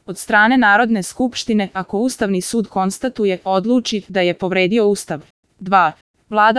od strane Narodne skupštine ako Ustavni sud konstatuje, odluči da je povredio Ustav. 2.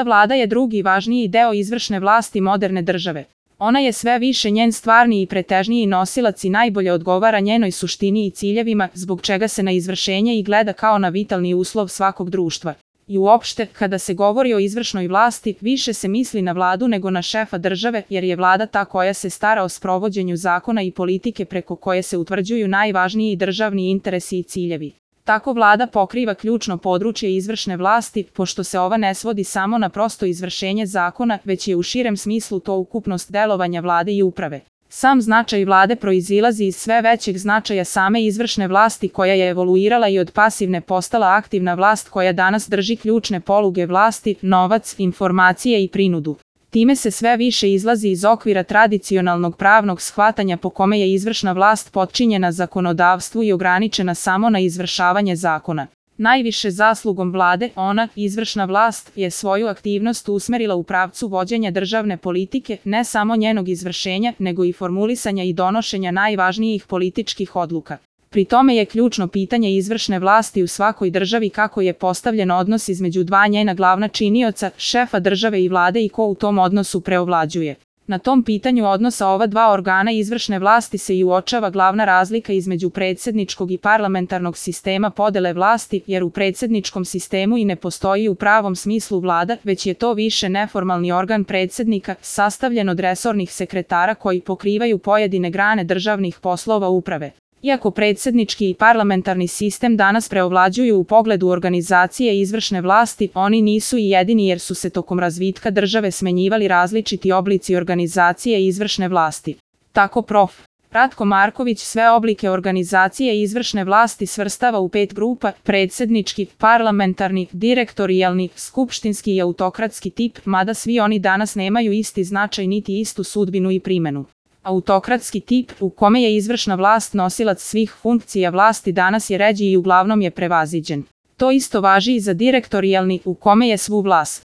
Vlada je drugi važniji deo izvršne vlasti moderne države. Ona je sve više njen stvarni i pretežniji nosilac i najbolje odgovara njenoj suštini i ciljevima, zbog čega se na izvršenje i gleda kao na vitalni uslov svakog društva. I uopšte, kada se govori o izvršnoj vlasti, više se misli na vladu nego na šefa države, jer je vlada ta koja se stara o sprovođenju zakona i politike preko koje se utvrđuju najvažniji državni interesi i ciljevi. Tako vlada pokriva ključno područje izvršne vlasti, pošto se ova ne svodi samo na prosto izvršenje zakona, već je u širem smislu to ukupnost delovanja vlade i uprave. Sam značaj vlade proizilazi iz sve većeg značaja same izvršne vlasti koja je evoluirala i od pasivne postala aktivna vlast koja danas drži ključne poluge vlasti, novac, informacije i prinudu. Time se sve više izlazi iz okvira tradicionalnog pravnog shvatanja po kome je izvršna vlast potčinjena zakonodavstvu i ograničena samo na izvršavanje zakona. Najviše zaslugom vlade, ona, izvršna vlast, je svoju aktivnost usmerila u pravcu vođenja državne politike, ne samo njenog izvršenja, nego i formulisanja i donošenja najvažnijih političkih odluka. Pri tome je ključno pitanje izvršne vlasti u svakoj državi kako je postavljen odnos između dva njena glavna činioca, šefa države i vlade i ko u tom odnosu preovlađuje. Na tom pitanju odnosa ova dva organa izvršne vlasti se i uočava glavna razlika između predsjedničkog i parlamentarnog sistema podele vlasti, jer u predsjedničkom sistemu i ne postoji u pravom smislu vlada, već je to više neformalni organ predsjednika, sastavljen od resornih sekretara koji pokrivaju pojedine grane državnih poslova uprave. Iako predsjednički i parlamentarni sistem danas preovlađuju u pogledu organizacije izvršne vlasti, oni nisu i jedini jer su se tokom razvitka države smenjivali različiti oblici organizacije izvršne vlasti. Tako prof. Ratko Marković sve oblike organizacije izvršne vlasti svrstava u 5 grupa: predsjednički, parlamentarni, direktorijalni, skupštinski i autokratski tip, mada svi oni danas nemaju isti značaj niti istu sudbinu i primenu. Autokratski tip, u kome je izvršna vlast nosilac svih funkcija vlasti, danas je ređi i uglavnom je prevaziđen. To isto važi i za direktorijalni, u kome je svu vlast